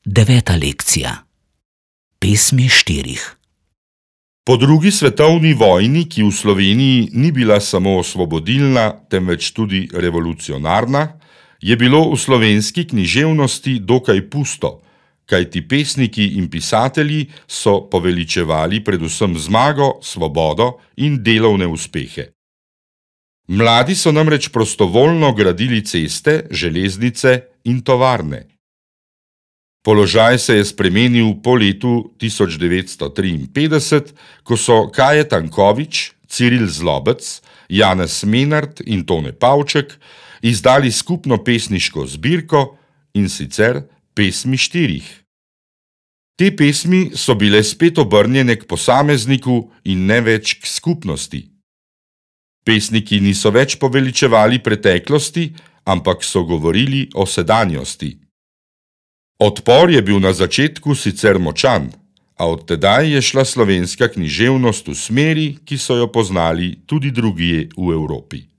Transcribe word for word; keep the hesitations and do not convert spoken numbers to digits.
Deveta lekcija. Pesmi štirih. Po drugi svetovni vojni, ki v Sloveniji ni bila samo osvobodilna, temveč tudi revolucionarna, je bilo v slovenski književnosti dokaj pusto, kajti pesniki in pisatelji so poveličevali predvsem zmago, svobodo in delovne uspehe. Mladi so namreč prostovoljno gradili ceste, železnice in tovarne. Položaj se je spremenil po letu tisoč devetsto triinpetdeset, ko so Kaje Tanković, Ciril Zlobec, Janez Menart in Tone Pavček izdali skupno pesniško zbirko, in sicer Pesmi štirih. Te pesmi so bile spet obrnjene k posamezniku in ne več k skupnosti. Pesniki niso več poveličevali preteklosti, ampak so govorili o sedanjosti. Odpor je bil na začetku sicer močan, a od tedaj je šla slovenska književnost v smeri, ki so jo poznali tudi drugje v Evropi.